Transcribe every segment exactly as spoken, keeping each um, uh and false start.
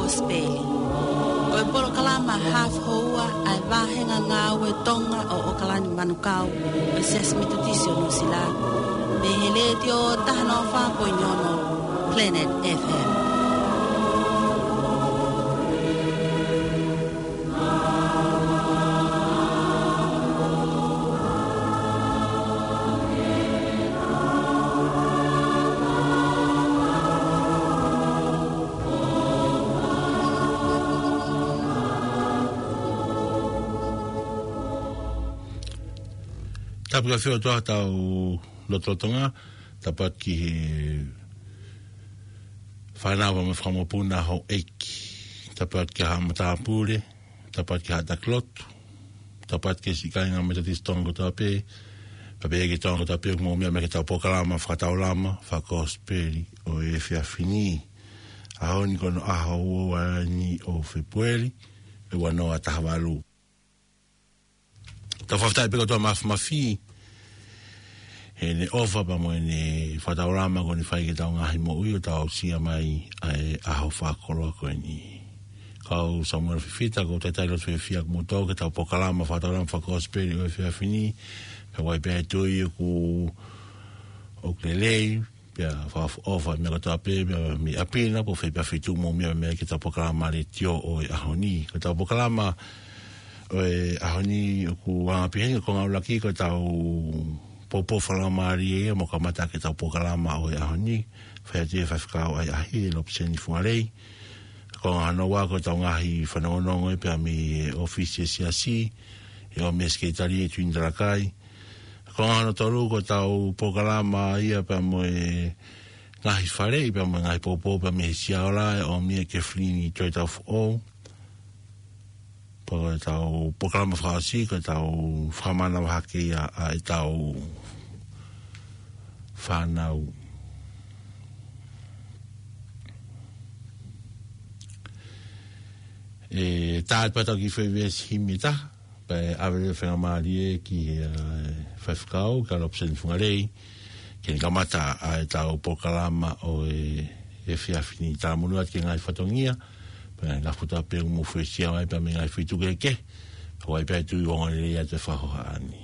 Kosipeli. Ko e polokalama hafu houa ʻa e vāhenga ngāue Tonga ʻo ʻOkalani Manukau ʻo e Siasi Metotisi ʻo Nuʻusila, mei he Letiō taha noa fā poini ono Planet F M. Tapu ki he ʻOtua ʻi hotau lotolotonga, tapu atu ki he fānau mo e fanga mokopuna houʻeiki, tapu atu ki he haʻa matāpule, tapu atu ki he haʻa taki lotu, tapu atu ki he siʻi kāinga Metotisi Tonga kotoa pē, pea pehē ki he Tonga kotoa pē ʻoku mou meʻa mai ki heʻetau polokalama fakataulama fakakosipeli ʻo e efiafi ni. ʻAho ni ko hono ʻaho ua ua ni ʻo Fēpueli, ʻe ua noa taha valu. Tau fakafetaʻi pē ki he ʻOtua Māfimafi, heʻene ʻofa pea mo ʻene fakataulama kuo ne fai ki heʻetau ngaahi moʻui ʻo tau aʻusia mai ʻa e ʻaho fakakoloa ko eni. Ko au Samuela Fifita, ʻoku ou talitali loto fiefia ʻoku mou tō ki heʻetau polokalama fakataulama fakakosipeli ʻo e efiafi ni, pea ʻoku ou pehē atu ʻoku, ʻoku lelei, pea fakaʻofoʻofa e meʻa kotoa pē, pea mei ʻapi na, pe ko fē pē ʻapi ʻoku mou meʻa mai ki heʻetau polokalama letiō ʻo e ʻaho ni. Ko ʻetau polokalama ʻo e ʻaho ni ʻoku anga pehē ni, ko e konga ʻuluaki ko ʻetau poupou fakalaumālie ia, mo kamata ki heʻetau polokalama ʻo e ʻaho ni, fai atu ʻe he faifekau ʻahiʻahi, Lopeseni Fungalei. Ko e konga hono ua ko ʻetau ngaahi fanongonongo ia pea mei he ʻōfisi ʻa e siasi, ʻe ʻomi ʻe he sekelitali ʻa Tuini Talakai. Ko e konga hono tolu ko ʻetau polokalama ia pea mo e ngaahi faleʻi pea mo e ngaahi poupou pea mei he Siaola, ʻe ʻomi ʻe Kefilini Toitaufoʻou. Pea ko ʻetau polokalama fakaʻosi ko ʻetau fakamanavahē ia ʻa ʻetau fānau. ʻE tā atu pē ʻetau kiʻi foʻi veesi himi ʻe taha, pea ʻe ʻave leva e faingamālie ki he, ʻa, faifekau, kia Lopeseni Fungalei, ke ne kamata ʻa ʻetau polokalama ʻo e, efiafi ni. Talamonū atu ki he ngaahi fatongia, pea ngaahi ngāue kotoa pē ʻoku mou fesiaʻu ai pea mei he ngaahi feituʻu kehekehe, ʻoku ʻi ai pē ʻa e tui ʻoku ongoongolelei atu e fakahā ni.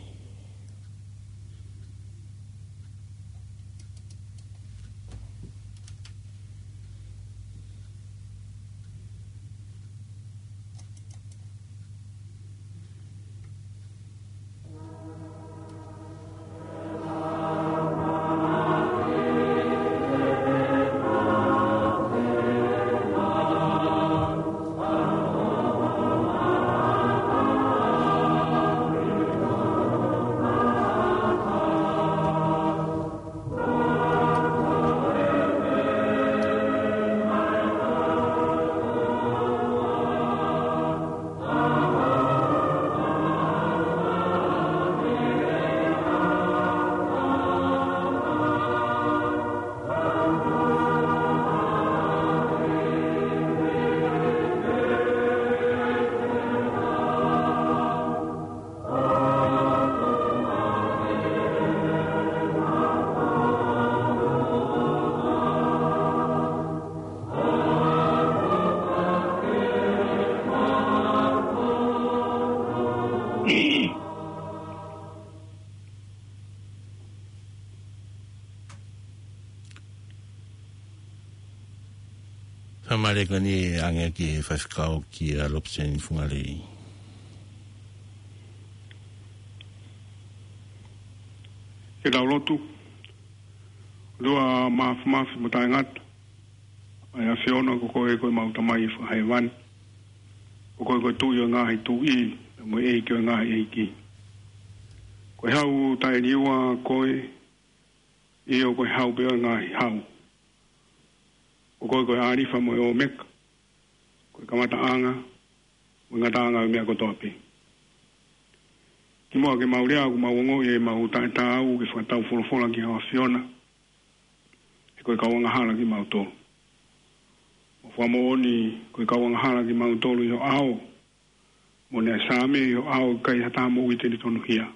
Fakamālō ko eni ʻe ʻange ki he faifekau kia Lopeseni Fungalei. Ke tau lotu. ʻOtua Māfimafi mo Taʻengata, ʻa e ʻAfiona, ko koe ko ʻemau Tamai ʻi Hēvani. Ko koe ko e Tuʻi ʻo e ngaahi tuʻi, mo e ʻEiki ʻo e ngaahi ʻeiki. Ko e Hau taʻeliua koe, ʻio ko e Hau pē ʻo e ngaahi hau. Ko koe ko e ʻĀlifa mo e ʻŌmeka, ko e kamataʻanga mo e ngataʻanga ʻo e meʻa kotoa pē. Kimuʻa ke mau lea, ʻoku mau ongoʻi ʻemau taʻetaau ke fakatau folofola ki he ʻAfiona, he ko e kau angahala kimautolu. Mo fakamoʻoni ko e kau angahala kimautolu ʻi ho ʻao, mo e Saame ʻi ho ʻao, ʻikai ha taha moʻui te ne tonuhia.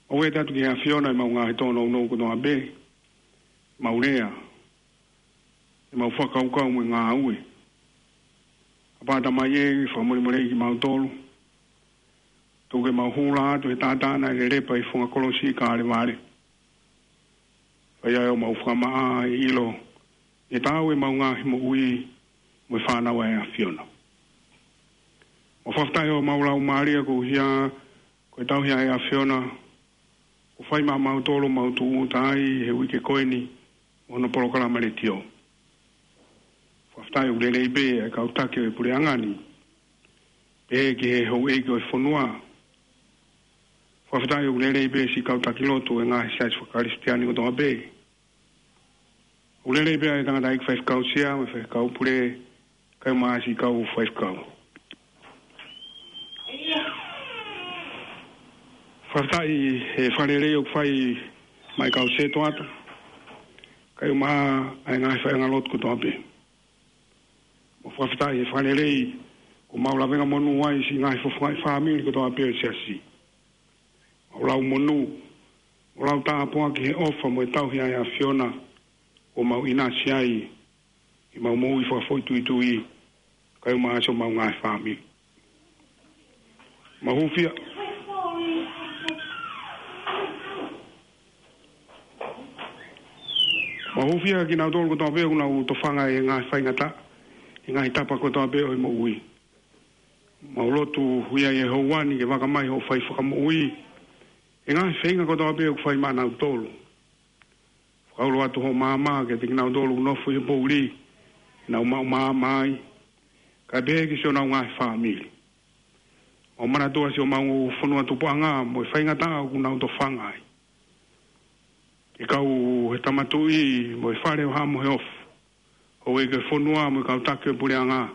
ʻOku ʻoatu atu ki he ʻAfiona ʻemau ngaahi tōnounou kotoa pē, ʻemau lea, ʻemau fakakaukau mo e ngāue. ʻApā Tamai ē, fakamolemoleʻi kimautolu. Tuku ke mau hū atu he taʻataʻa naʻe lelepa ʻi he funga kolosi ʻi Kalevale. Fai ai homau fakamaʻa ʻi he ʻilo ʻe taau ʻemau ngaahi moʻui mo e fānau ʻa e ʻAfiona. Mau fakafetaʻi homau laumālie koeʻuhi ko e tauhi ʻa e ʻAfiona kuo fai maʻamautolu ʻemau tūʻuta ai he uike ko eni mo hono polokalama letiō. Fakafetaʻi ʻoku lelei pē ʻa e kau taki ʻo e puleʻanga ni, pehē ki he houʻeiki ʻo e fonua. Fakafetaʻi ʻoku lelei pē siʻi kau taki lotu ʻo e ngaahi siasi fakakalisitiane kotoa pē. ʻOku lelei pē ʻa e tangataʻeiki faifekau sea mo e faifekau pule, kae ʻumaʻā siʻi kau faifekau. Fakafetaʻi he fakalelei ʻoku fai maʻa e kau sētuata, kae ʻumaʻā ʻa e ngaahi faiʻanga lotu kotoa pē. Mau fakafetaʻi he fakalelei kuo mau lavengamonū ai siʻi ngaahi fofongaʻi fāmili kotoa pē ʻo e siasi. Mau lau monū, mau lau tāpuaki he ʻofa mo e tauhi ʻa e ʻAfiona kuo mau ʻinasi ai ʻi heʻemau moʻui fakafoʻituitui, kae ʻumaʻā siʻomau ngaahi fāmili. Mau hūfia, mau hūfia kinautolu kotoa pē ʻoku nau tofanga ʻi he ngaahi faingataʻa ʻi he ngaahi tapa kotoa pē ʻo e moʻui. Mau lotu ʻi he houa ni ke vaka mai hoʻo fai fakamoʻui ʻi he ngaahi feinga kotoa pē ʻoku fai maʻanautolu. Fakaulo atu hoʻo maama kiate kinautolu ʻoku nofo ʻi he poʻuli, ke nau maʻu maama ai, kae pehē ki siʻonau ngaahi fāmili. Mau manatua siʻomau fonua tupuʻanga mo e faingataʻa ʻoku nau tofanga ai. Ke kau he Tama Tuʻi mo e Fale ʻo Haʻa Moheofo, houʻeiki ʻo e fonua mo e kau taki ʻo e puleʻanga,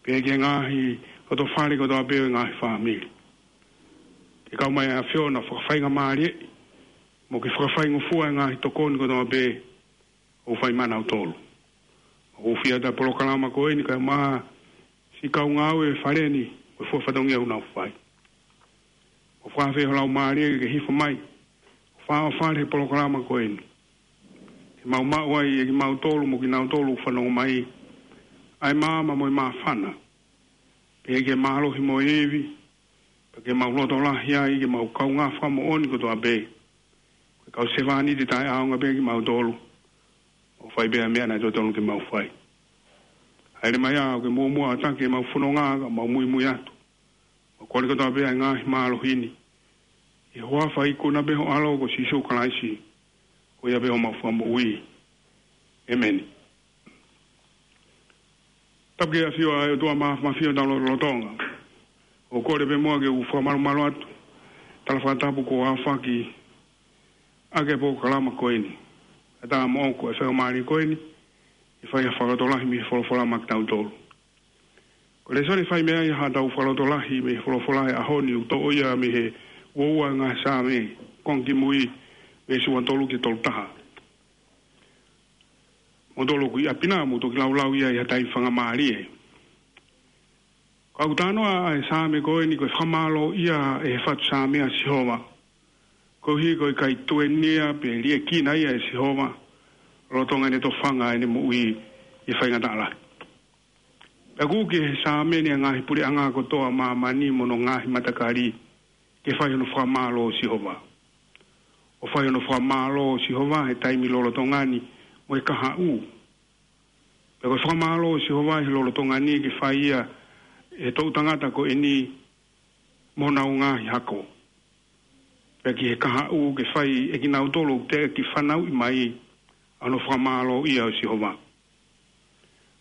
pehē ki he ngaahi lotofale kotoa pē ʻo e ngaahi fāmili. Ke kau mai ʻa e ʻAfiona fakafaingamālieʻi mo ke fakafaingofua e ngaahi tokoni kotoa pē ʻoku fai maʻanautolu. Mau hūfia atu ʻa e polokalama ko eni kae ʻumaʻā siʻi kau ngāue ʻo e Fale ni mo e fua fatongia ʻoku nau fai. Mau fakafeʻao ho laumālie ke hifo mai ʻo fāʻofale he polokalama ko eni, ke mau maʻu ai ʻe kimautolu mo kinautolu ʻoku fanongo mai ʻa e maama mo e māfana, pehē ki he mālohi mo e ivi, pea ke mau loto lahi ai ke mau kaungā fakamoʻoni kotoa pē ko e kau sevāniti taʻeʻaonga pē kimautolu, mau fai pē ʻa e meʻa naʻe totonu ke mau fai. Hāʻele mai ā ʻo ke muʻomuʻa ʻo taki ʻemau fononga, ka mau muimui atu. Mau kole kotoa pē ʻa e ngaahi mālohi ni ʻi he huafa ikuna pē ho ʻAlo ko Sīsū Kalaisi, ko ia pē homau Fakamoʻui. ʻĒmeni. Tapu ki he ʻAfiona ʻa e ʻOtua Māfimafi ʻo e lotolotonga. ʻOku ou kole pē muʻa ke u fakamalumalu atu he tala fakatapu kuo aofaki ʻaki ʻa e polokalama ko eni. Kae ʻatā moʻoku ʻa e faingamālie ko eni ke fai ha fakalotolahi mei he folofola maʻa kitautolu. Ko e lēsoni ʻe fai mei ai haʻatau fakalotolahi mei he folofola he ʻaho ni ʻoku toʻo ia mei he uaua ʻo e ngaahi Saame, konga kimui, veesi ua tolu ki he tolu taha. Mou tolo ʻi ʻapi na, mou toki laulau ia ʻi ha taimi faingamālie. Ka ʻoku talanoa ʻa e Saame ko eni ko e fakamālōʻia ʻe he fatu Saame ʻa Sihova, koeʻuhi ko e ʻikai tuenia pe liʻekina ia ʻe Sihova lolotonga ʻene tofanga ʻene moʻui ʻi he faingataʻa lahi. Pea ʻoku uki ʻe he Saame ni ʻa e ngaahi puleʻanga kotoa ʻo māmani mo hono ngaahi matakali ke fai hono fakamālō ʻo Sihova. ʻO fai hono fakamālō ʻo Sihova he taimi lolotonga ni mo e kahaʻu. Pea ko e fakamālō ʻo Sihova he lolotonga ni ke fai ia ʻe he toʻu tangata ko eni mo honau ngaahi hako. Pea ki he kahaʻu ke fai ʻe kinautolu ʻoku teʻeki fanauʻi mai ʻa hono fakamālōʻia ʻo Sihova.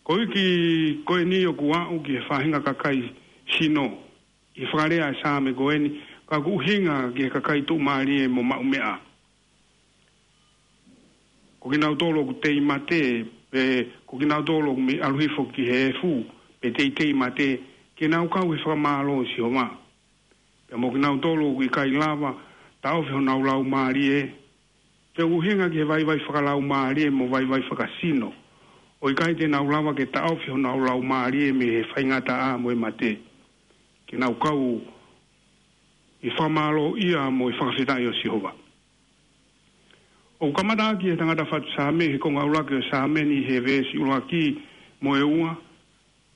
Ko e uike ko eni ʻoku aʻu ki he faʻahinga kakai sino ʻi he fakalea ʻa e Saame ko eni, ka ʻoku ʻuhinga ki he kakai tuʻumālie mo maʻumeʻa. Ko kinautolu ʻoku tei mate, pe ko kinautolu ʻoku mei ʻalu hifo ki he efu, pe teitei mate, ke nau kau he fakamālō ʻo Sihova. Pea mo kinautolu ʻoku ʻikai lava taʻofi honau laumālie, pea ʻoku ʻuhinga ki he vaivai fakalaumālie mo vaivai fakasino, ʻo ʻikai te nau lava ke taʻofi honau laumālie mei he faingataʻa mo e mate, ke nau kau ʻi he fakamālōʻia mo e fakafetaʻi ʻo Sihova. ʻOku kamata ʻaki ʻe he tangata fatu Saame he konga ʻuluaki ʻo e Saame ni he veesi ʻuluaki mo e ua,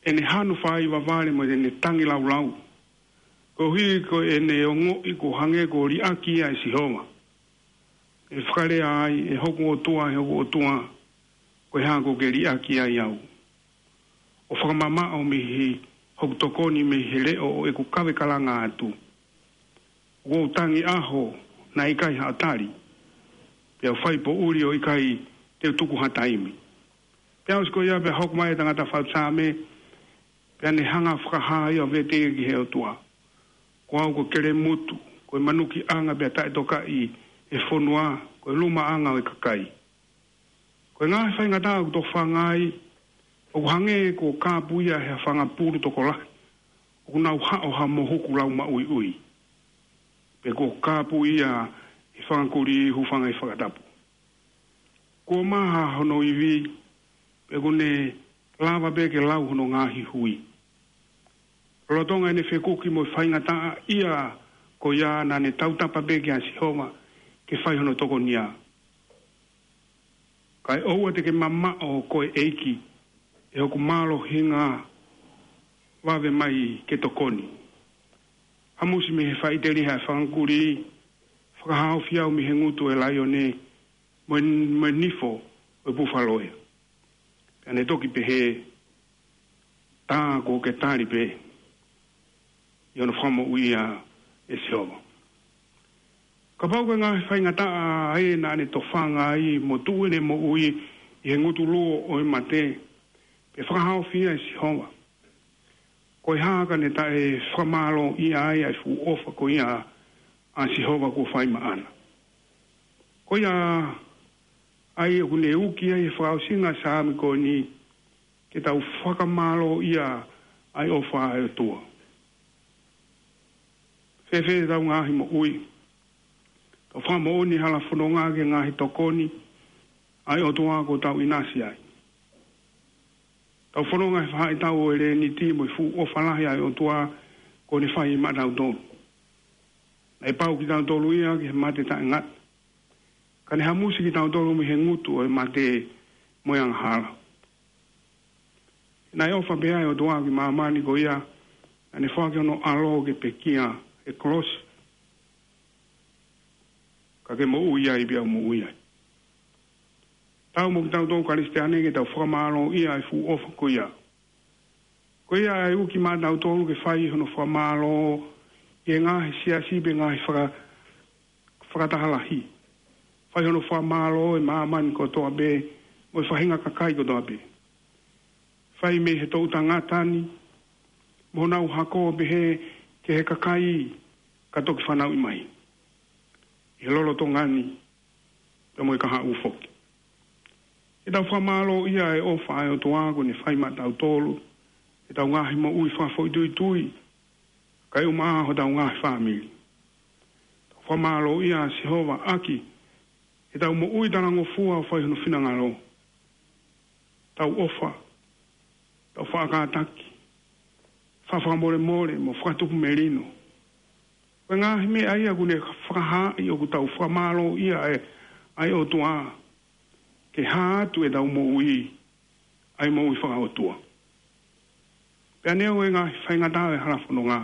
ʻene hanu fai vavale mo ʻene tangi laulau. Koeʻuhi ko ʻene ongoʻi kuo hangē kuo liʻaki ia ʻe Sihova. ʻE fakalea ai, ʻe hoku ʻOtua, ʻe hoku ʻOtua, ko e hā kuo ke liʻaki ai au? ʻO fakamamaʻo mei he hoku tokoni mei he leʻo ʻo ʻeku kave kalanga atu. ʻOku ou tangi ʻaho, naʻe ʻikai haʻo tali. Pea u fai poʻuli ʻo ʻikai te u tuku ha taimi. Pea ʻosi ko ia pea hoko mai e tangata fatu Saame, pea ne hanga fakahā ia ʻo vete ki he ʻOtua. Ko au ko Kelemutu, ko e manukiʻanga pea taʻetokaʻi e fonua, ko e lumaʻanga ʻo e kakai. Ko e ngaahi faingataʻa ʻoku tofanga ai, ʻoku hangē kuo kāpui ia he fanga pulu tokolahi, ʻoku nau haʻo ha mohuku lau maʻuiʻui. Pe kuo kāpui ia he fanga kulī hūfanga he fakatapu. Kuo maha hono ivi, pea ʻoku ne lava pē ke lau hono ngaahi hui. Lolotonga ʻene fekuki mo e faingataʻaʻia ko ia, naʻa ne tautapa pē kia Sihova ke fai hono tokonia. Kae ʻoua te ke mamaʻo koe ʻEiki, ʻe hoku mālohinga, vave mai ke tokoni. Hamusi mei he faʻiteliha e fanga kulī, fakahaofi au mei he ngutu ʻo e laione, mo e, mo e nifo ʻo e pufaloe. Pea ne toki pehē, tā kuo ke tali pē ʻi hono fakamoʻui ia ʻe Sihova. Kapau ko e ngaahi faingataʻa ē naʻa ne tofanga ai mo tuʻu ʻene moʻui ʻi he ngutu luo ʻo e mate, pea fakahaofi ia ʻe Sihova, ko e hā ka ne taʻefakamālōʻia ai ʻa e fuʻu ʻofa ko ia ʻa Sihova kuo fai maʻana? Ko ia ai ʻoku ne uki ai he fakaʻosinga Saame ko eni, ke tau fakamālōʻia ʻa e ʻofa ʻa e ʻOtua. Fēfē ʻetau ngaahi moʻui? Tau fakamoʻoni hala fononga ki he ngaahi tokoni ʻa e ʻOtua kuo tau ʻinasi ai. Tau fononga he faʻahitaʻu ʻo e lēniti mo e fuʻu ʻofa lahi ʻa e ʻOtua kuo ne fai maʻatautolu. Naʻe pau kitautolu ia ki he mate taʻengata. Ka ne hamusi kitautolu mei he ngutu ʻo e mate mo e angahala. Naʻe ʻofa pehē ʻa e ʻOtua ki māmani ko ia, naʻa ne foaki hono ʻAlo ke pekia he kolosi, ka ke moʻui ai pea u moʻui ai. Taau mo kitautolu Kalisitiane ke tau fakamālōʻia ʻa e fuʻu ʻofa ko ia. Ko ia ai uki maʻatautolu ke fai hono fakamālō ʻi he ngaahi siasi pe ngaahi faka-, fakataha lahi. Fai hono fakamālō ʻe māmani kotoa pē, mo e faʻahinga kakai kotoa pē. Fai mei he toʻu tangata ni, mo honau hako pehē ki he kakai ka toki fanauʻi mai. ʻI he lolotonga ni, pea mo e kahaʻu foki. Ke tau fakamālōʻia ʻa e ʻofa ʻa e ʻOtua kuo ne fai maʻatautolu, ʻetau ngaahi moʻui fakafoʻituitui, kae ʻumaʻā hotau ngaahi fāmili. Tau fakamālōʻia ʻa Sihova ʻaki ʻetau moʻui talangofua ʻo fai hono finangalo. Tau ʻofa, tau faʻa kātaki, faʻa fakamolemole mo fakatupu melino. Ko e ngaahi meʻa ia kuo ne fakahaaʻi ʻoku tau fakamālōʻia ʻa e, ʻa e ʻOtua, ke hā atu ʻetau moʻui, ʻa e moʻui fakaʻotua. Pea neongo e ngaahi faingataʻa ʻo e hala fononga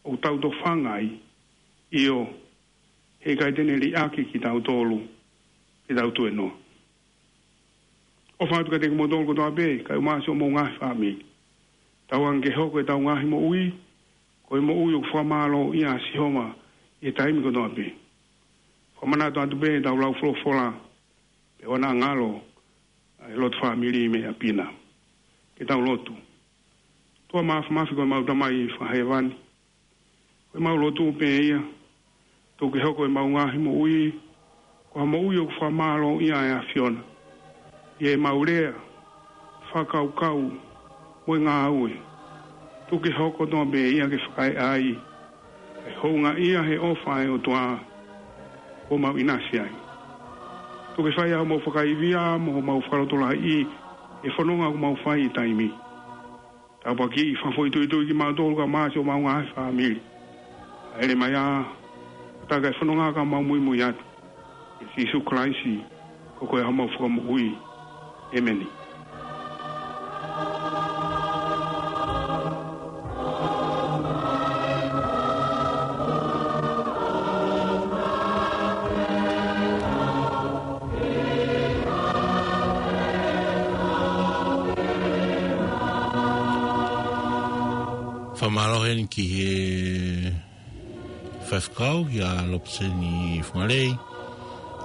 ʻoku tau tofanga ai, ʻio, heʻikai te ne liʻaki kitautolu, ke tau tuenoa. ʻOfa atu kiate kimoutolu kotoa pē, kae ʻumaʻā siʻomou ngaahi fāmili. Tauange ke hoko ʻetau ngaahi moʻui ko e moʻui ʻoku fakamālōʻia ʻa Sihova ʻi he taimi kotoa pē. Fakamanatu atu pē ʻetau lau folofola, pea ʻoua naʻa ngalo ʻa e lotu fāmili mei ʻapi na. Ke tau lotu. ʻOtua Māfimafi, ko ʻemau Tamai Fakahēvani, ko ʻemau lotu pē ia, tuku ke hoko ʻemau ngaahi moʻui ko ha moʻui ʻoku fakamālōʻia ʻa e ʻAfiona ʻi heʻemau lea, fakakaukau, mo e ngāue. Tuku ke hoko kotoa pē ia ke fakaeʻa ai ʻa e houngaʻia he ʻofa ʻa e ʻOtua kuo mau ʻinasi ai. Tuku ke fai ʻa homau fakaivia mo homau fakalotolahiʻi he fononga ʻoku mau fai he taimi ni. Tāpuakiʻi fakafoʻituitui kimautolu kae ʻumaʻā siʻomau ngaahi fāmili. Hāʻele mai ā, ʻo taka e fononga ka mau muimui atu. ʻIa Sīsū Kalaisi, ko koe homau Fakamoʻui. ʻĒmeni. Fakamālō heni ki he faifekau, kia Lopeseni Fungalei,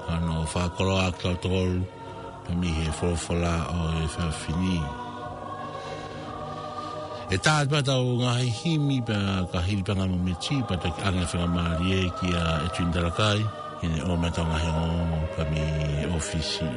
ʻa hono fakakoloa ʻa kitautolu pea mei he folofola ʻo e efiafi ni. ʻE tā atu pē ʻetau ngaahi himi pea ka hili pē ʻa e ngaahi mōmeniti pea toki ʻoange faingamālie kia ʻEtuini Talakai ke ne ʻomai ʻetau ngaahi ongoongo pea mei he ʻōfisi.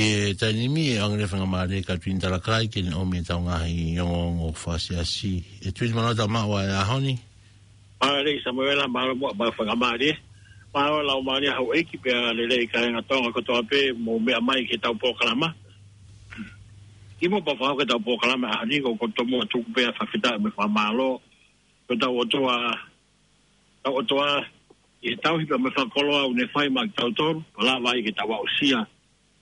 ʻI he taimi ni ʻe ʻoange faingamālie kia ʻEtuini Talakai ke ne ʻomai ʻetau ngaahi ongoongo fakasiasi. ʻEtuini, mālō e tau maʻu ʻa e ʻaho ni. Mālō Samuela, mālō muʻa ʻa e faingamālie. Mālō e laumālie houʻeiki pea lelei kāinga Tonga kotoa pē mou meʻa mai ki heʻetau polokalama. Kiʻi muʻa pea u fakahoko ʻetau polokalama ʻaho ni, ko e tomuʻa tuku pē ʻa e fakafetaʻi mo e fakamālō ki hotau ʻOtua, hotau ʻOtua, ʻi he tauhi pea mo e fakakoloa ʻoku ne fai maʻa kitautolu, pea lava ai ke tau aʻusia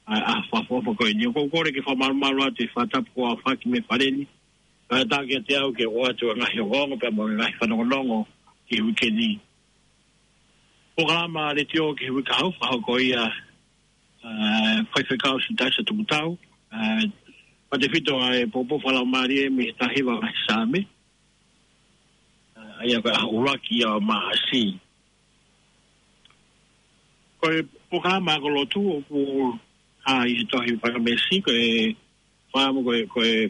ʻa e ʻaho fakaʻofoʻofa ko eni. ʻOku ou kole ke fakamalumalu atu e fakatapu kuo aofaki mei he fale ni. Kae ʻatā kiate au ke u ʻoatu e ngaahi ongoongo pea mo e ngaahi fanongonongo ki he uike ni. Polokalama letiō ki he uike kahaʻu, fakahoko ia ʻe he faifekau Sitaisa Tuputau, ʻa e fakatefito ʻa e poupou fakalaumālie mei he taha hiva ngaahi Saame, ʻa ia ko e ʻaho ʻuluaki ia ʻo Maʻasi. Ko e polokalama ako lotu ʻoku hā ʻi he tohi Pakamesi, ko e fakaʻamu ko e, ko e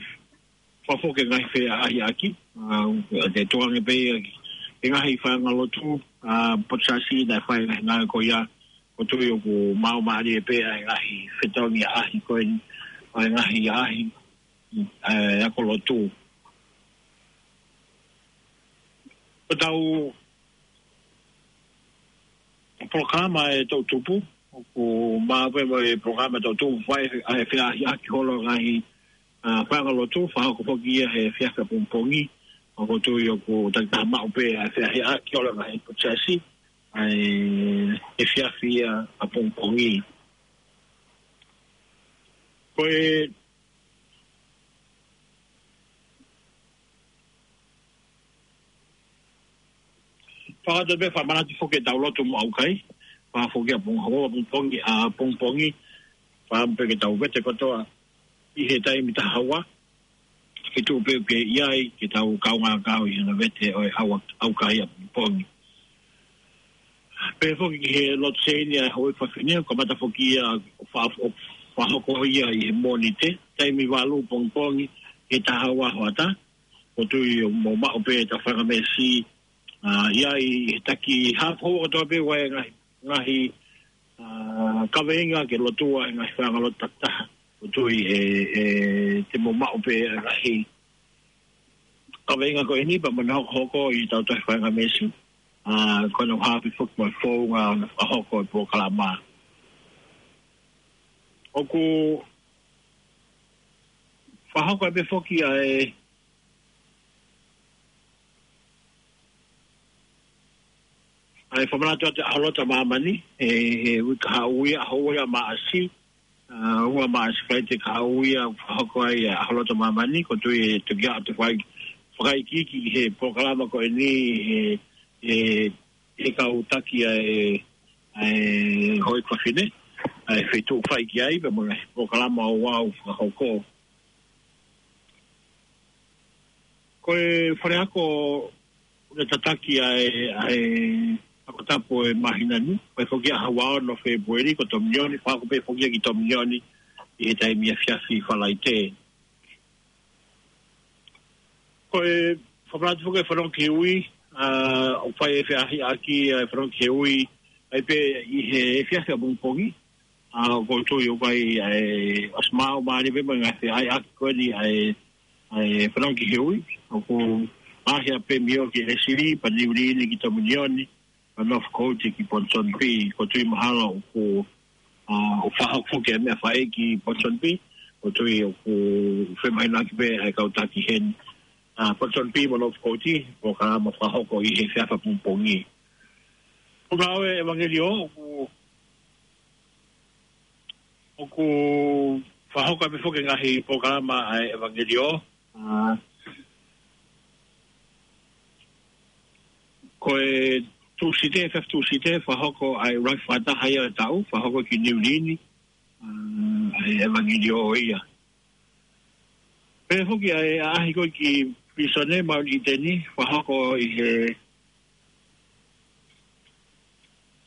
fakafoki e ngaahi feʻaʻahiʻaki, ʻa, ʻe tukuange pē ia ki he ngaahi faiʻanga lotu, ʻa, potu siasi naʻe fai e ngaahi ngāue ko ia, ʻoku ou tui ʻoku maumauʻi pē ʻa e ngaahi fetongi ʻaʻahi ko eni, ʻa e ngaahi ʻaʻahi, ʻa e ako lotu. Ko ʻetau polokalama ʻe toʻutupu, ʻOku maʻu pē mo e polokalama tau tuʻu fai ʻa e feahiʻaki holo ngaahi, ʻa, faiʻanga lotu, fakahoko foki ia he efiafi ʻapongipongi. ʻOku ou tui ʻoku takitaha maʻu pē ʻa e feahiʻaki holo ngaahi potasi, ʻa e efiafi ia ʻapongipongi. Ko e Fakatau pē fakamanatu foki ʻetau lotu mo ʻaukai. Fakafoki ʻapongipongi, ʻapongipongi. Fakaʻamu pē ke tau vete kotoa ʻi he taimi taha ua. Ke tuʻu pē ke ʻi ai, ke tau kaungā kau ʻi he ngaahi vete ʻo e ʻau-, ʻaukai ʻapongipongi. Pehē foki ki he lotu seini ʻa e houʻeiki fafine, ʻoku kamata foki ia ʻo fa-, ʻo fakahoko ia ʻi he Mōnite, taimi valu pongipongi, he taha ua hoʻatā. ʻOku ou tui ʻoku mou maʻu pē ʻetau faingamālie, ʻa, ʻi ai he taki haʻa hou kotoa pē ʻoku ʻi ai e ngaahi, ngaahi, ʻa, kaveinga ke lotua he ngaahi faiʻanga lotu takitaha. ʻOku ou tui ʻe, ʻe, te mou maʻu pē e ngaahi kaveinga ko eni pea mo ʻene hokohoko ʻi heʻetau tohi faingamālie. ʻA, ko hono haʻapi foki mo e founga ʻo hono fakahoko e polokalama. ʻOku fakahoko ai pē foki ʻa e, ʻa e fakamanatu atu ʻa e ʻAho Lotu ʻa Māmani, he, he uike kahaʻu ia, ʻaho ua ia ʻo Māʻasi, ʻa, ua Māʻasi, Falaite kahaʻu ia, fakahoko ai ʻa e ʻAho Lotu ʻa Māmani. ʻOku ou tui ʻe toki ʻi ai ʻetau fai-, fakaikiiki he polokalama ko eni, he, he, he kau taki ʻa e, ʻa e houʻeiki fafine, ʻa e feituʻu fai ki ai, pea mo e ngaahi polokalama ʻoku fakahoko. Ko e fale ako ʻoku tataki ʻa e, ʻa e ako tapu ʻo e māhina ni, ʻoku foki ʻaho ua ono Fēpueli, ko Tominioni, fakahoko pē foki ia ki Tominioni ʻi he taimi efiafi Falaite. Ko e fakamanatu foki e Fanongo ki he Ui, ʻa, ʻoku fai e feahiʻaki ʻa e Fanongo ki he Ui, ʻa ia pē ʻi he efiafi ʻapongipongi, ʻa, ʻoku ou tui ʻoku ʻi ai, ʻa e, ʻosi maʻu mālie pē mo e ngaahi feahiʻaki ko eni ʻa e, ʻa e Fanongo ki he Ui. ʻOku ʻaʻahi ʻa Pemio ki Lesili, pea Niulini ki Tominioni, pea Northcote ki Ponsonby. ʻOku ou tui mahalo ʻoku, ʻa, ʻoku fakahoko foki e meʻa fai ki Ponsonby. ʻOku ou tui ʻoku femahinoʻaki pē ʻa e kau taki heni, ʻa, Ponsonby mo Northcote, polokalama fakahoko ʻi he efiafi ʻapongipongi. Ko e ngāue ʻevangeliō, ʻoku ʻoku fakahoko ai pē foki e ngaahi polokalama ʻa e ʻevangeliō. ʻA, ko e Tūsite, efiafi Tūsite, fakahoko ai ʻuluaki fakataha ia ʻo e taʻu, fakahoko ki Niulini, ʻa, ʻa e ʻevangeliō ia. Pehē foki ʻa e ʻaʻahi ko ē ki Pilīsone Maʻuniteni, fakahoko ʻi he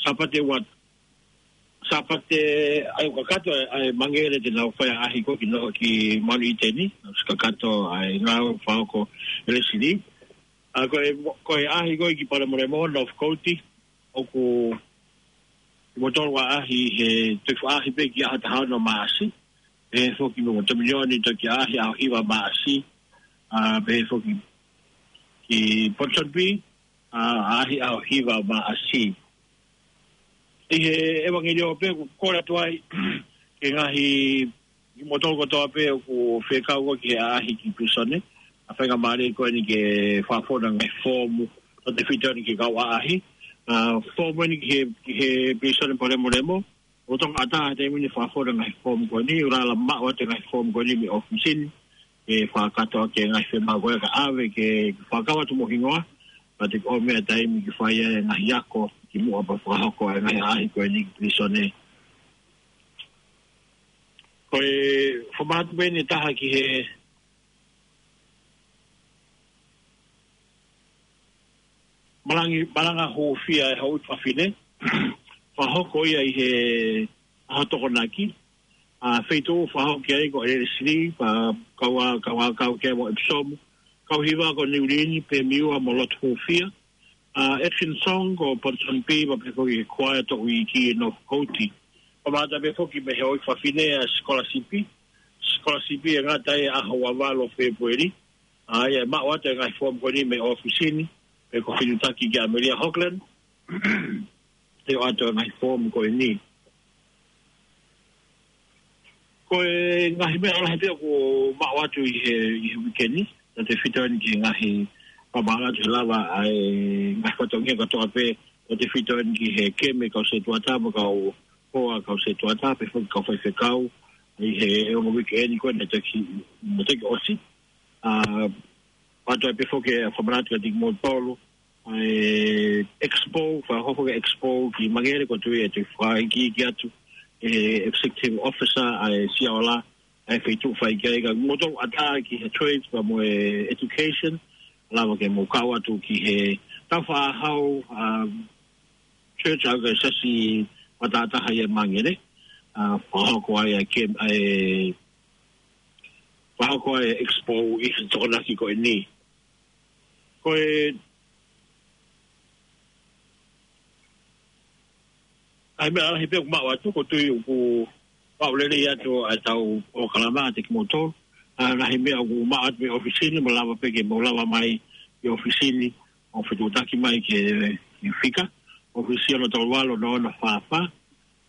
Sāpate ua, Sāpate ʻa ia ʻoku kakato ʻa e, ʻa e Mangele te nau fai ʻaʻahi ko ē ki Nō-, ki Maʻuniteni, ʻosi kakato ʻa e ngāue fakahoko ʻe Lesili. ʻA, ko e, ko e ʻaʻahi ko ē ki Palemolemo, Northcote, ʻoku kimoutolu ʻaʻahi he toki ʻaʻahi pē ki he ʻaho taha ono Māʻasi. Pehē foki mo Tominioni toki ʻaʻahi ʻaho hiva Māʻasi. ʻA, pehē foki ki Ponsonby, ʻa, ʻaʻahi ʻaho hiva Māʻasi. ʻI he ʻevangeliō pē ʻoku kole atu ai ki he ngaahi, kimoutolu kotoa pē ʻoku fekau ko ē ki he ʻaʻahi ki Pilīsone, ʻa e faingamālie ko eni ke fakafonu e ngaahi foomu, tautefito eni ki he kau ʻaʻahi. ʻA, foomu eni ki he, ki he Pilīsone Palemolemo, ʻoku toko ʻatā he taimi ni fakafonu e ngaahi foomu ko eni, ʻoku lava maʻu atu e ngaahi foomu ko eni mei he ʻōfisi ni, ke fakakakato ʻaki e ngaahi fiemaʻu ko ē ka ʻave ke fakakau atu mo e hingoa, pea te ke ʻomai e taimi ke fai ai e ngaahi ako kimuʻa pea fakahoko e ngaahi ʻaʻahi ko eni ki Pilīsone. Ko e fakamanatu pē eni ʻe taha ki he malangi-, malanga hūfia ʻa e houʻeiki fafine, fakahoko ia ʻi he ʻaho Tokonaki, ʻa, feituʻu fakahoko ki ai ko ʻElesili, pea kau ā, kau ā, kau ki ai mo ʻEpisomu, kau hiva ko Niulini, Pemiua mo Lotu Hūfia, ʻa, Atkinson ko Ponsonby, pea pehē foki ki he Kuaea Toʻu Iiki Northcote. Pea mamata pē foki mei he houʻeiki fafine ʻa e sikolasipi, sikolasipi ʻe ngata ai ʻaho ua valu Fēpueli, ʻa ia ʻe maʻu atu e ngaahi foomu ko eni mei he ʻōfisi ni, pea ko e fetuʻutaki kia ʻAmelia Hogland, ʻe ʻoatu e ngaahi foomu ko eni. Ko e ngaahi meʻa lahi pē ʻoku maʻu atu ʻi he, ʻi he uike ni, tautefito eni ki he ngaahi fakamālō atu he lava ʻa e ngaahi fatongia kotoa pē, tautefito eni ki he keme kau sētuata mo e kau hoa kau sētuata, pehē foki kau faifekau, ʻi he ongo uike eni ko ē naʻe toki, naʻe toki ʻosi. ʻA, ʻoatu ai pē foki e fakamanatu kiate kimoutolu, ʻa e expo, fakahoko e expo ki Mangere, ʻoku ou tui ʻe toe fakaikiiki atu ʻe he executive officer ʻa e Sia Ola, ʻa e feituʻu fai ki ai, ka mou toe ʻatā ki he trades pea mo e education, lava ke mou kau atu ki he tau fakahau, um, church ʻa e siasi matātaha ʻi Mangere, ʻa, fakahoko ai ʻa e kem-, ʻa e, fakahoko ai e expo ʻi he Tokonaki ko eni. Ko e, ʻa e meʻa lahi pē ʻoku maʻu atu, ʻoku ou tui ʻoku maʻu lelei atu ʻa e tau polokalama kiate kimoutolu. ʻA e ngaahi meʻa ʻoku maʻu atu mei he ʻōfisi ni, mou lava pē ke mou lava mai ki he ʻōfisi ni, ʻo fetuʻutaki mai ki he, ki he fika. ʻŌfisi ono tolu ua ono ono fā fā.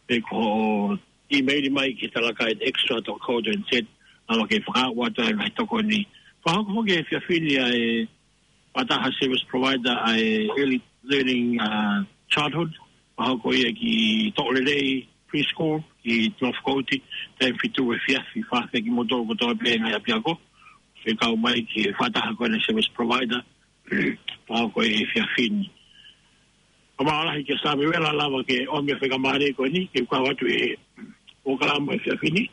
Pe ko hoʻo email mai ki he Talakai at extra dot co dot N Z, lava ke fakaaʻu atu ʻa e ngaahi tokoni. Fakahoko foki he efiafi ni ʻa e fakataha service provider ʻa e Early Learning, uh, Childhood. Fakahoko ia ki Toʻolelei Preschool, ki North Coast, taimi fitu he efiafi, fakaafeʻi kimoutolu kotoa pē ngaahi ʻapiako. Fekau mai ki he fakataha ko eni service provider, fakahoko he efiafi ni. Fakamālō lahi kia Samiuela lava ke ʻomi e faingamālie ko eni, ke kau atu he polokalama he efiafi ni.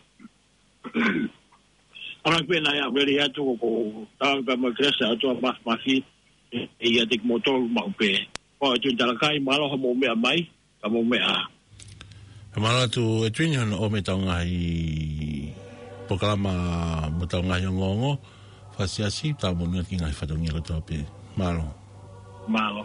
ʻAmanaki pē naʻe ʻalu lelei atu, ʻoku ou tala pē mo e kelesi ʻa e ʻOtua Māfimafi, ʻe, ʻiate kimoutolu maʻu pē. Ko e Tuʻi Talakai, mālō hoʻomou meʻa mai, ka mou meʻa ā. Fakamālō atu ʻEtuini hono ʻomi e tau ngaahi polokalama mo e tau ngaahi ongoongo fakasiasi, tau monū ki he ngaahi fatongia kotoa pē. Mālō. Mālō.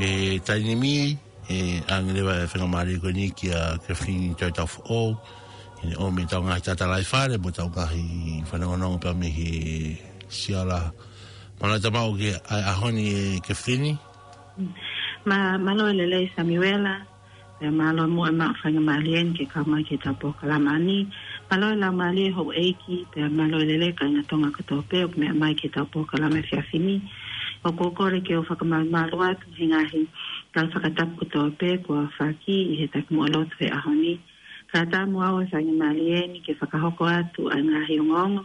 ʻE taimi ni, ʻe ʻoange leva e faingamālie ko eni kia Kefilini Toitau Foʻou, ʻi heʻene ʻomi e tau ngaahi tatalaifale mo e tau ngaahi fanongonongo pea mei he Sia Ola. Mālō e tau maʻu ki he ʻaho ni ʻe Kefilini. Mā-, mālō e lelei Samiuela, pea mālō muʻa e maʻu faingamālie ni ke kau mai ki he tau polokalama ni. Mālō e laumālie houʻeiki, pea mālō e lelei kāinga Tonga kotoa pē ʻoku meʻa mai ki he tau polokalama he efiafi ni. ʻOku ou kole ke u fakamalumalu atu he ngaahi tala fakatapu kotoa pē kuo aofaki ʻi he takimuʻa lotu he ʻaho ni. Kae ʻatā muʻa au e faingamālie ni ke fakahoko atu ʻa e ngaahi ongoongo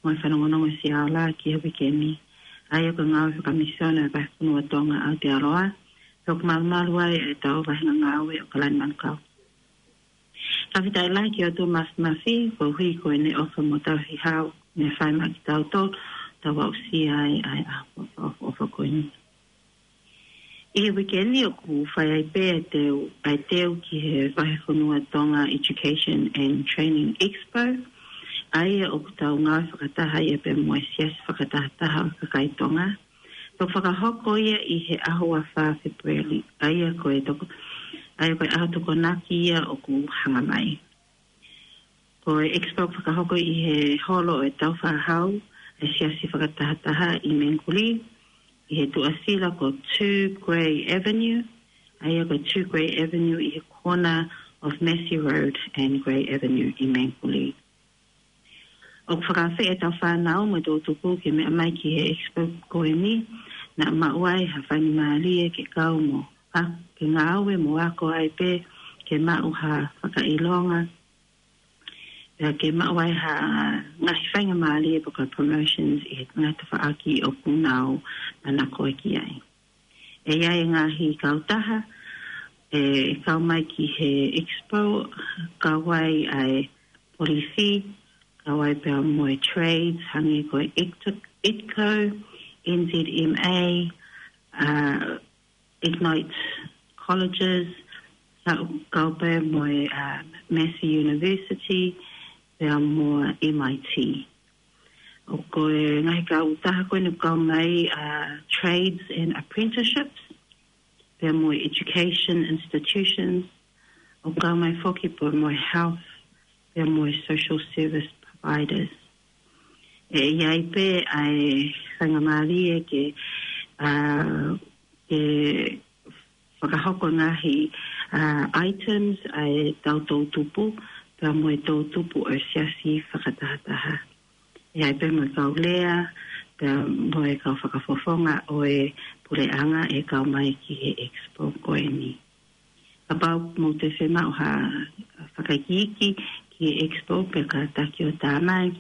mo e fanongonongo ʻa e Sia Ola ki he uike ni. ʻA ia ko e ngāue fakamisiona ʻa e Vahefonua Tonga ʻa Aotearoa, ʻoku malumalu ai e tau vahenga ngāue ʻo Kalani Manukau. Fakafetaʻi lahi ki he ʻOtua Māfimafi, koeʻuhi ko ʻene ʻofa mo tauhi hau, naʻe fai maʻa kitautolu, tau aʻusia ai ʻa e ʻaho ʻofa, ʻofa, ʻofa ko eni. ʻI he uike ni ʻoku fai ai pē ʻa e teu, ʻa e teu ki he Vahefonua Tonga Education and Training Expo. ʻA ia ʻoku tau ngāue fakataha ia pea mo e Siasi Fakatahataha ʻo e Kakai Tonga. Toki fakahoko ia ʻi he ʻaho ua fā Fēpueli. ʻA ia ko e toko, ʻa ia ko e ʻaho Tokonaki ia ʻoku hanga mai. Ko e expo fakahoko ʻi he holo ʻo e Taufaʻāhau ʻa e Siasi Fakatahataha ʻi Mangere, ʻi he tuʻasila ko two Grey Avenue, ʻa ia ko two Grey Avenue ʻi he corner of Massey Road and Grey Avenue ʻi Mangere. ʻOku fakaafeʻi ʻetau fānau mo e toʻutupu ke meʻa mai ki he expo ko eni, naʻa maʻu ai ha faingamālie ke kau mo, a, ke ngāue mo ako ai pē, ke maʻu ha fakaʻilonga, pea ke maʻu ai ha ngaahi faingamālie pe ko e promotions ʻi he ngaahi tafaʻaki ʻoku nau manako ki ai. ʻE ʻi ai e ngaahi kautaha ʻe kau mai ki he expo, kau ai ʻa e polisi, kau ai pea mo e trades, hangē ko e ITCO, ITCO, N Z M A, uh, Ignite Colleges, kau, kau pea mo e, uh, Massey University, pea mo e M I T. ʻOku ʻi ai e ngaahi kautaha ko eni ʻoku kau mai, uh, trades and apprenticeships, pea mo e education institutions, ʻoku kau mai foki pea mo e health, pea mo e social service providers. ʻE ʻi ai pē ʻa e faingamālie ke, uh, ke fakahoko ngaahi, uh, items ʻa e tau toʻutupu, pea mo e toʻutupu ʻo e Siasi Fakatahataha. ʻE ʻi ai pē mo e kau lea, pea mo e kau fakafofonga ʻo e puleʻanga ʻe kau mai ki he expo ko eni. Kapau ʻoku mou toe fiemaʻu ha fakaikiiki ki he expo pea kātaki ʻo tā mai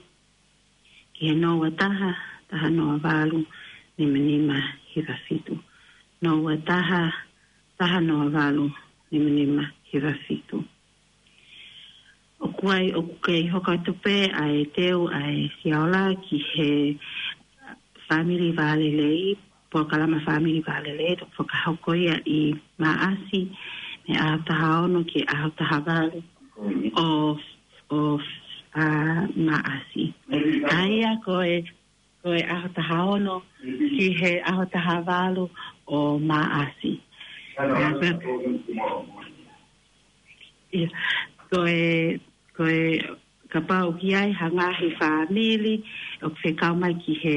ki he noa ua taha, taha noa valu, nima nima hiva fitu. Noa ua taha, taha noa valu, nima nima hiva fitu. ʻOku ʻi ai, ʻoku kei hoko atu pē ʻa e teu ʻa e Siaola ki he Family Vālelei, polokalama Family Vālelei, ʻe toki fakahoko ia ʻi Maʻasi, mei he ʻaho taha ono ki he ʻaho taha valu ʻo, ʻo, a, Maʻasi. ʻA ia ko e, ko e ʻaho taha ono ki he ʻaho taha valu ʻo Maʻasi. ʻA, pea, ia, ko e, ko e, kapau ʻoku ʻi ai ha ngaahi fāmili ʻoku fie kau mai ki he,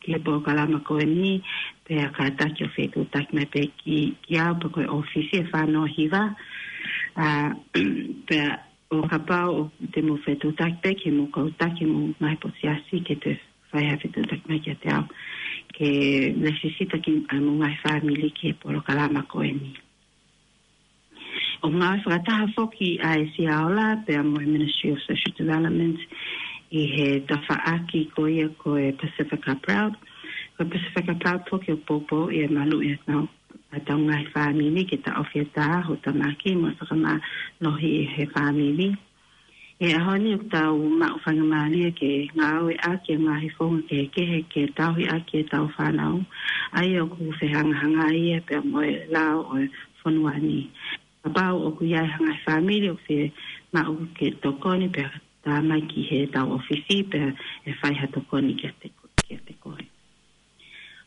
ki he polokalama ko eni, pea kātaki ʻo fetuʻutaki mai pē ki, ki au pe ko e ʻōfisi ʻe fā noa hiva. A, pea ʻo kapau ʻoku te mou fetuʻutaki pē ki he mou kau taki mo e ngaahi potu siasi ke te fai ha fetuʻutaki mai kiate au ke lesisita ki ai mo e ngaahi fāmili ki he polokalama ko eni. ʻOku ngāue fakataha foki ʻa e Siaola pea mo e Ministry of Social Development ʻi he tafaʻaki ko ia ko e Pasifika Proud. Ko e Pasifika Proud foki ʻoku poupou ia malu ia nau ʻa e tau ngaahi fāmili ke taʻofi ʻa e tā houtamaki mo e fakamālohi ʻi he fāmili. ʻI he ʻaho ni ʻoku tau maʻu faingamālie ke ngāueʻaki ʻa e ngaahi founga kehekehe ke tauhi ʻaki ʻetau fānau, ʻa ia ʻoku fehangahangai ia pea mo e lao ʻo e fonua ni. Kapau ʻoku ʻi ai ha ngaahi fāmili ʻoku fiemaʻu ke tokoni pea tā mai ki he tau ʻōfisi pea ʻe fai ha tokoni kiate ko-, kiate koe.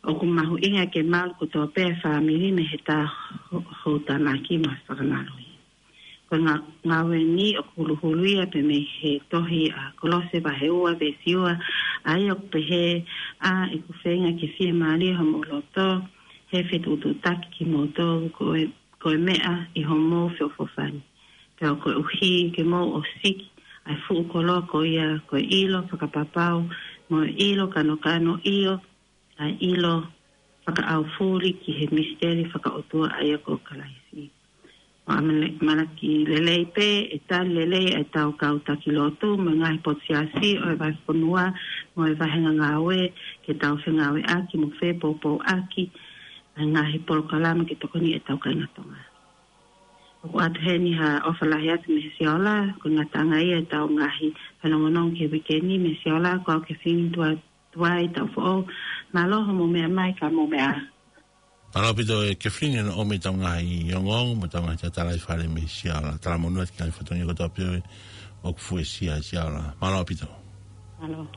ʻOku mahuʻinga ke malu kotoa pē ʻa e fāmili mei he tā ho-, houtamaki mo e fakamālohi. Ko e ngā-, ngāue ni ʻoku huluhulu ia pē mei he tohi ʻa Kolose vahe ua veesi ua, ʻa ia ʻoku pehē, ʻa ʻeku feinga ke fiemālie homou loto, he fetuʻutuʻutaki kimoutolu ko e, ko e meʻa ʻi homou feʻofoʻofani. Pea koeʻuhi ke mou ʻosiki ʻa e fuʻu koloa ko ia ko e ʻilo fakapapau, mo e ʻilo kanokano, ʻio, ʻa e ʻilo fakaʻaufuli ki he misiteli fakaʻotua ʻa ia ko Kalaisi. ʻOku ʻamanaki lelei pē ʻe tali lelei ʻa e tau kau taki lotu mo e ngaahi potu siasi ʻo e vahefonua mo e vahenga ngāue ke tau fengāueʻaki mo fepoupouʻaki ʻa e ngaahi polokalama ke tokoni ʻetau kāinga Tonga. ʻOku ʻoatu heni ha ʻofa lahi atu mei he Siaola, ko e ngataʻanga ia ʻetau ngaahi fanongonongo ki he uike ni mei he Siaola, ko au Kefini Tuai, Tuai Taufoʻou. Mālō hoʻomou meʻa mai, ka mou meʻa ā. Mālō ʻaupito e Kefilini ʻo e ʻomi ʻetau ngaahi ongoongo mo ʻetau ngaahi tatala ʻi fale mei Siaola. Talamonū atu ki he ngaahi fatongia kotoa pē ʻoku fuesia ʻi Siaola. Mālō ʻaupito. Mālō.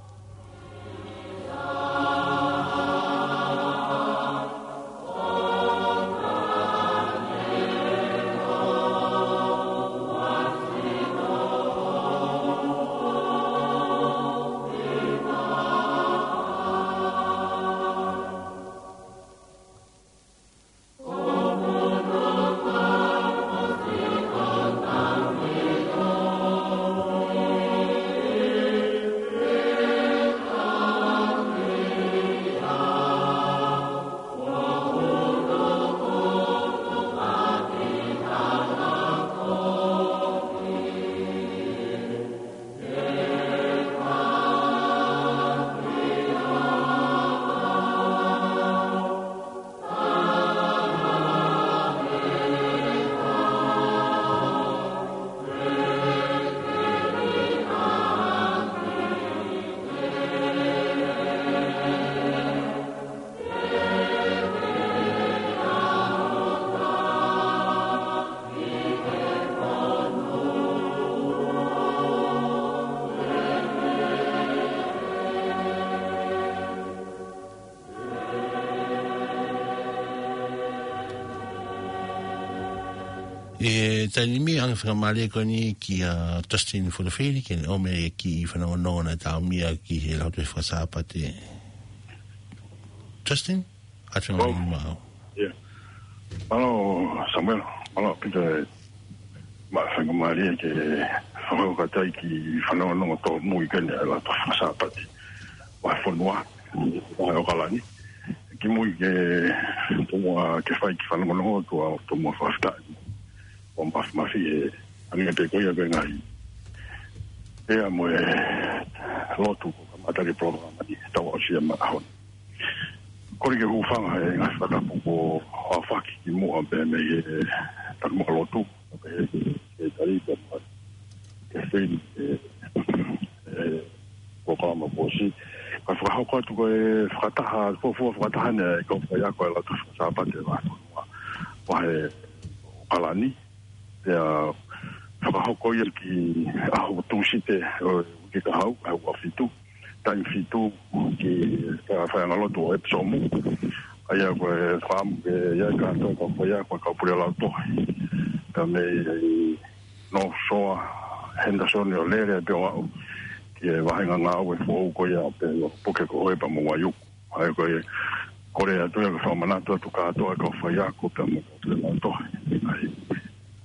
ʻI he taimi ni ʻoku fakamālō ko eni kia Justin Fulufili, ke ne ʻomai e kiʻi fanongonongo naʻe taʻomia ki he Lautohi Fakasāpate. Justin, ʻoatu e Oh. ngaahi maau. Yeah. Mālō, Samuel, mālō ʻaupito e maʻu faingamālie ke fakakaukau ki he fanongonongo tōmui ko eni ʻa e Lautohi Fakasāpate ʻo e fonua, ʻo ʻAokalani. Kimuʻa ke tomuʻa ke fai e kiʻi fanongonongo, ʻoku ou tomuʻa fakafetaʻi mo māfimafi he ʻuhinga pē ko ia ko e ngaahi pea mo e lotu ko e kamata e polokalama ni, tau aʻusia mai he ʻaho ni. Kole ke u hūfanga he ngaahi fakatapu kuo aofaki kimuʻa pē mei he taumuʻa lotu, pehē ki he tali pea mo e Kefilini, e, e, polokalama kuo ʻosi. Ka fakahoko atu ko e fakataha, fuofua fakataha eni ʻa e kau faiako ʻa e Lautohi Fakasāpate ʻa e fonua, ʻa e ʻAokalani. Pea fakahoko ia ki he ʻaho Tūsite ʻo e uike kahaʻu, ʻaho ua fitu, taimi fitu ki he faiʻanga lotu ʻo ʻEpisomu. ʻA ia ko e fakaʻamu ke ʻi ai kātoa e kau faiako, kau pule lautohi, pea mei North Shore, Henderson ʻo lele pē ʻo aʻu ki he vāhenga ngāue foʻou ko ia pē ʻo puke ko ē pea mo Waiuku. ʻA ia ko e kole atu ia ke fakamanatu atu kātoa e kau faiako pea mo e kau pule lautohi ʻa e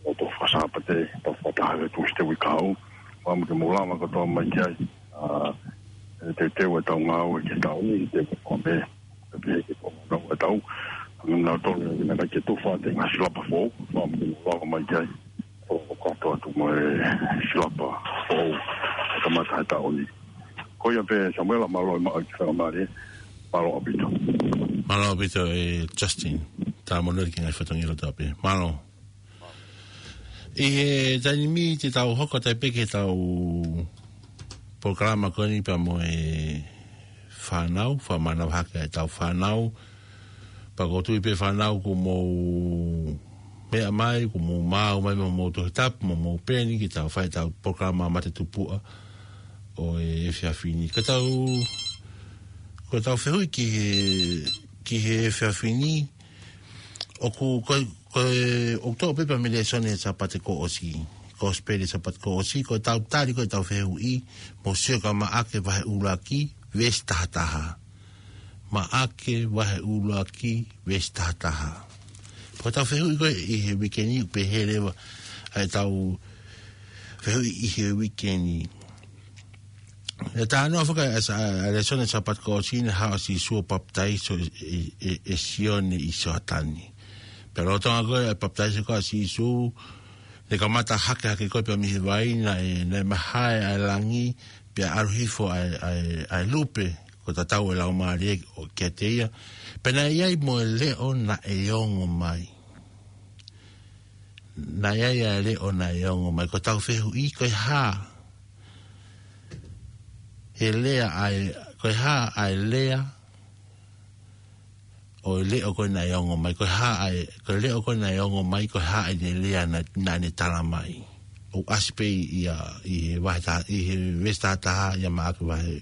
Lautohi Fakasāpate, tau fakataha he Tūsite uike kahaʻu. Fakaʻamu ke mou lava kotoa mai ki ai. ʻA, e teuteu ʻetau ngāue ki he taʻu ni, teuteu ko ē, pea pehē ki he konga ʻo e taʻu. Hangē nautolu ʻoku nau kei tufa atu e ngaahi silapa foʻou, fakaʻamu ke mou lava mai ki ai. ʻO kātoa atu mo e silapa foʻou ʻe kamata he taʻu ni. Ko ia pē Samuela, mālō e maʻu e kiʻi faingamālie, mālō ʻaupito. Mālō ʻaupito e Justin, talamonū atu ki he ngaahi fatongia kotoa pē. Mālō. ʻI he taimi ni te tau hoko atu pē ki heʻetau polokalama ko eni pea mo e fānau, fakamanavahē ʻetau fānau. Pea ʻoku ou tui pē fānau kuo mou meʻa mai, kuo mou maʻu mai mo hoʻomou Tohi Tapu, mo hoʻomou peni, ke tau fai ʻetau polokalama matatupuʻa ʻo e efiafi ni. Ka tau, ko ʻetau fehuʻi ki he, ki he efiafi ni, ʻoku, ko, ko e, ʻoku toʻo pē pea mei he lēsoni e Sāpate kuo ʻosi. Kosipeli Sāpate kuo ʻosi, ko ʻetau tali, ko ʻetau fehuʻi, mou sio ki Maʻake vahe ʻuluaki, veesi taha taha. Maʻake vahe ʻuluaki, veesi taha taha. Ko ʻetau fehuʻi ko ē ʻi he uike ni, pehē leva ʻa ʻetau fehuʻi ʻi he uike ni. ʻE talanoa foki ʻa e sa-, ʻa e lēsoni Sāpate kuo ʻosi, naʻe haʻu ʻa Sīsū ʻo papitaiso ʻe, ʻe, ʻe, ʻe Sione ʻi Sioatani. Pea lolotonga ko ē ʻa e papitaiso ko ē ʻa Sīsū, naʻe kamata hake hake ko ē pea mei he vai, naʻe, naʻe mahae ʻa e langi, pea ʻalu hifo ʻa e, ʻa e, ʻa e lupe, ko e tatau e Laumālie ʻo kiate ia. Pea naʻe ʻi ai mo e leʻo naʻe ongo mai. Naʻe ʻi ai ʻa e leʻo naʻe ongo mai. Ko ʻetau fehuʻi, ko e hā? He lea ʻa e, ko e hā ʻa e lea ʻo e leʻo ko ē naʻe ongo mai, ko e hā ʻa e, ko e leʻo ko ē naʻe ongo mai, ko e hā ʻa e lea naʻa, naʻa ne tala mai. ʻOku ʻasi pē ia ʻi he vahe ta-, ʻi he veesi tahataha ia Maʻake vahe,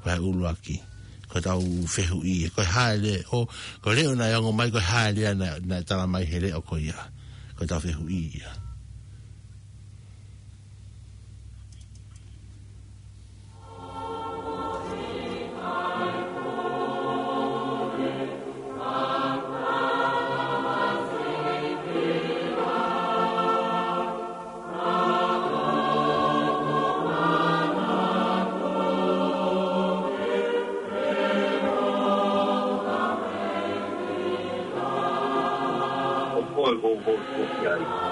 vahe ʻuluaki. Ko ʻetau fehuʻi ia. Ko e hā e leʻo, ko e leʻo naʻe ongo mai, ko e hā e lea naʻa, naʻe tala mai he leʻo ko ia. Ko ʻetau fehuʻi ia.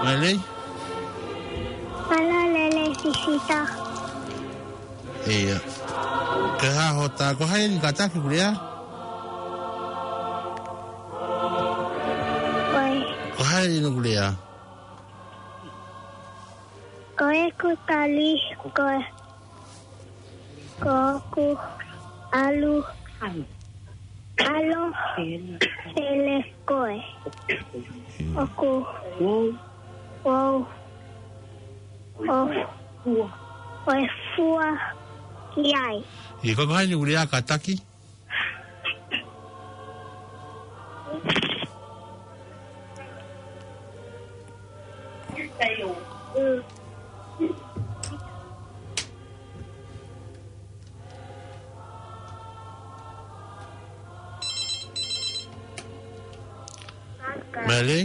Mālō. Mālō e lelei Sisita. Ia. Ko e hā hota, ko hai eni kātaki kuo lea? Ko e. Ko hai eni kuo lea? Ko ʻeku tali, ko e. Ko hoku ʻalu. ʻAlo. Pele ko e. ʻOku. Wow. ʻO. ʻO e fua ki ai. ʻIo, ko hai eni kuo lea kātaki? Mālō.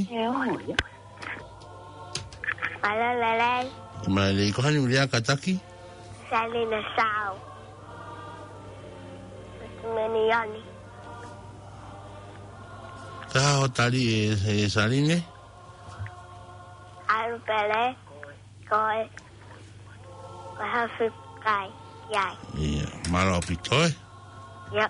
Mālō e lelei. Mālō, ko hai eni kuo lea kātaki? Salina Sau. Meni Ioni. Ko e hā hoʻo tali ē, ē Saline? ʻAlu pele, ko e, ko e hafi kai, ia. Ia, mālō ʻaupito ē. Ia.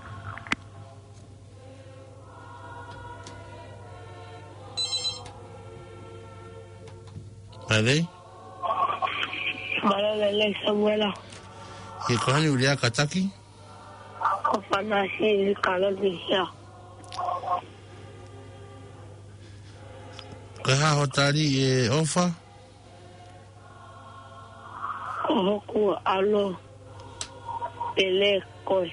Mālō. Mālō e lelei Samuela. ʻIo, ko hai eni kuo lea kātaki? Ko Fanasi Kalonisia. Ko e hā hoʻo tali ē ʻOfa? Ko hoku ʻalo pele ko e.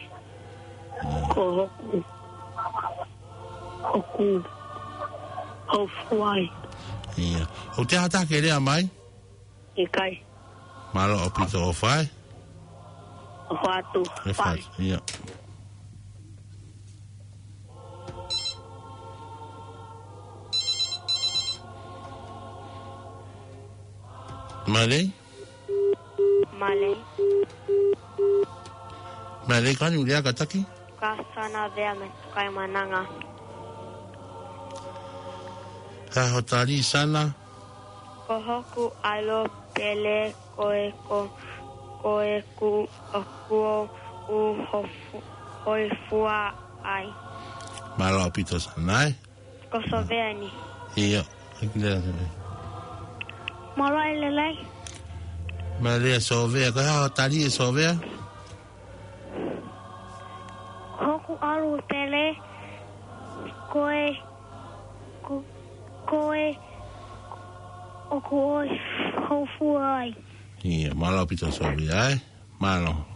Ko hoku, hoku, hoku fua ai. Ia. ʻOku ʻi ai ha taha ke lea mai? ʻIkai. Mālō ʻaupito ʻOfa ē. ʻOfa atu. ʻOfa atu, ia. Mālō. Mālō. Mālō, ko hai eni kuo lea kātaki? Ko Sana Vea mei Tukaimānanga. Ko e hā hoʻo tali Sana? Ko hoku ʻalo pele ko e ko, ko ʻeku, ʻoku ou, u hofu, hoi fua ai. Mālō ʻaupito Sana ē. Ko Sovea eni. ʻIo, ʻai ke lea Sovea. Mālō e lelei. Mālō e Sovea, ko e hā hoʻo tali ē Sovea? Hoku ʻalo pele, ko e, ko, ko e, ʻoku ou hoi fua ai. ʻIo, mālō ʻaupito Sovea ē. Mālō. Mālō.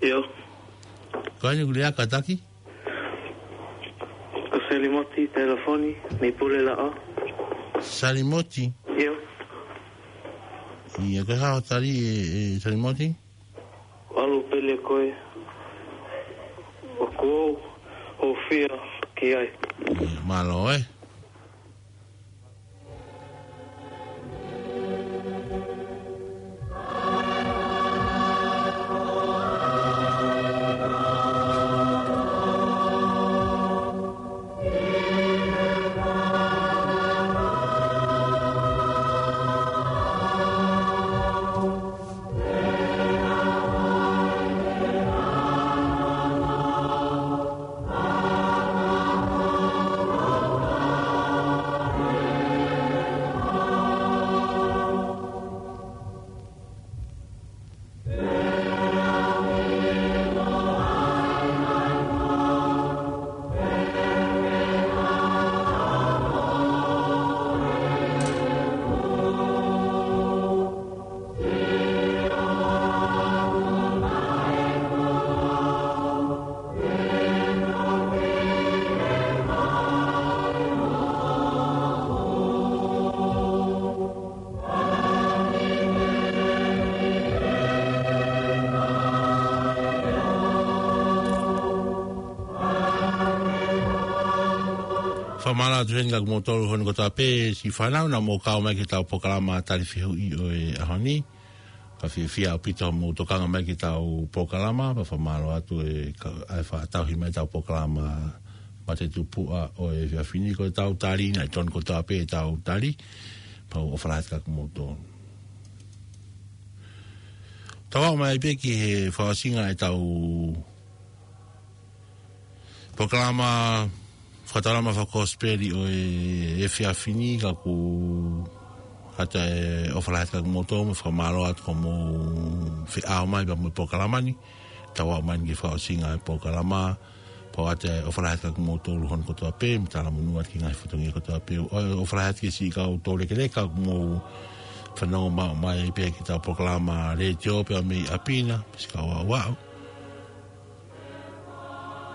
ʻIo. Ko eni kuo lea kātaki? Ko Salimoti telefoni, mei Pulelaʻa. Salimoti? ʻIo. ʻIo, ko e hā hoʻo tali ē, ē, Salimoti? ʻAlu pē leva ko ē. ʻOku ou hūfia ki ai. ʻIo, mālō ē. Fakamālō atu heni kia kimoutolu hono kotoa pē, siʻi fānau naʻa mou kau mai ki heʻetau polokalama tali fehuʻi ʻo e ʻaho ni. Ka fiefia ʻaupito hoʻomou tokanga mai ki heʻetau polokalama, pea fakamālō atu e ka-, ʻa e fakatauhi mai ʻetau polokalama matetupuʻa ʻo e efiafi ni, ko ʻetau tali, naʻe tonu kotoa pē ʻetau tali, pea ʻoku ou ʻofa lahi atu kia kimoutolu. Tau aʻu mai pē ki he fakaʻosinga ʻetau polokalama fakataulama fakakosipeli ʻo e efiafi ni, ka ʻoku ʻoatu e ʻofa lahi atu kia kimoutolu, mo fakamālō atu ko hoʻomou feʻao mai pea mo e polokalama ni. Tau aʻu mai ki he fakaʻosinga e polokalama, pea ʻoatu e ʻofa lahi atu kia kimoutolu hono kotoa pē, mo talamonū atu ki he ngaahi fatongia kotoa pē. ʻO, ʻofa lahi atu ki he siʻi kau toulekeleka ʻoku mou fanongo maʻu mai pē ki heʻetau polokalama letiō pea mei ʻapi na, siʻi kau aʻuaʻu.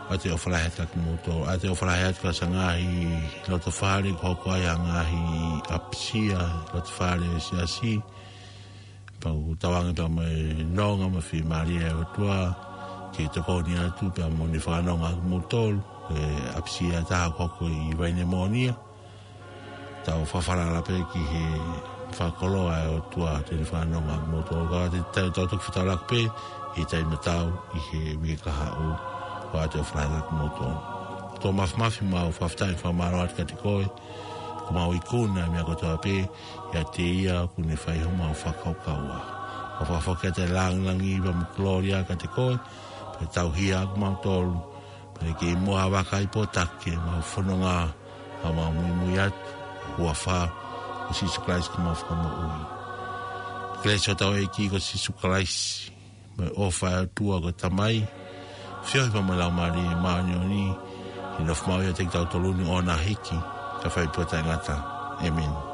ʻOatu e ʻofa lahi atu kia kimoutolu, ʻoatu e ʻofa lahi atu kia siʻa ngaahi lotofale, ʻoku hoko ai ha ngaahi ʻapisia, lotofale ʻo e siasi. Pea ʻoku tauange pea mo e nonga mo e fiemālie ʻa e ʻOtua, ke tokoni atu pea mo ne fakanonga ʻa kimoutolu, e ʻapisia ʻe taha ʻoku hoko ʻi Vainemonia. Tau fakafalala pē ki he fakakoloa ʻa e ʻOtua te ne fakanonga ʻa kimoutolu. Ka te tau, tau toki fakataulaki pē ʻi he taimi tatau ʻi he uike kahaʻu. ʻOatu e ʻofa lahi atu kia kimoutolu. ʻOtua Māfimafi, mau fakafetaʻi mo fakamālō atu kiate koe. ʻOku mau ikuna e meʻa kotoa pē ʻiate ia ʻoku ne fai homau fakakaukau. Mau fakafoki atu e lāngilangi pea mo e kolōlia kiate koe. Pea tauhi ʻa kimautolu, pea ke muʻa vakai pō taki ʻemau fononga, ʻa ʻemau muimui atu, huafa ʻo Sīsū Kalaisi ko homau Fakamoʻui. Kelesi ʻa hotau ʻEiki ko Sīsū Kalaisi, mo e ʻofa ʻa e ʻOtua ko e Tamai, feohi pea mo e Laumālie Māʻoniʻoni, ke nofo maʻu ʻiate kitautolu ni ʻo na hiki, kae fai pē ʻo taʻengata. ʻĒmeni.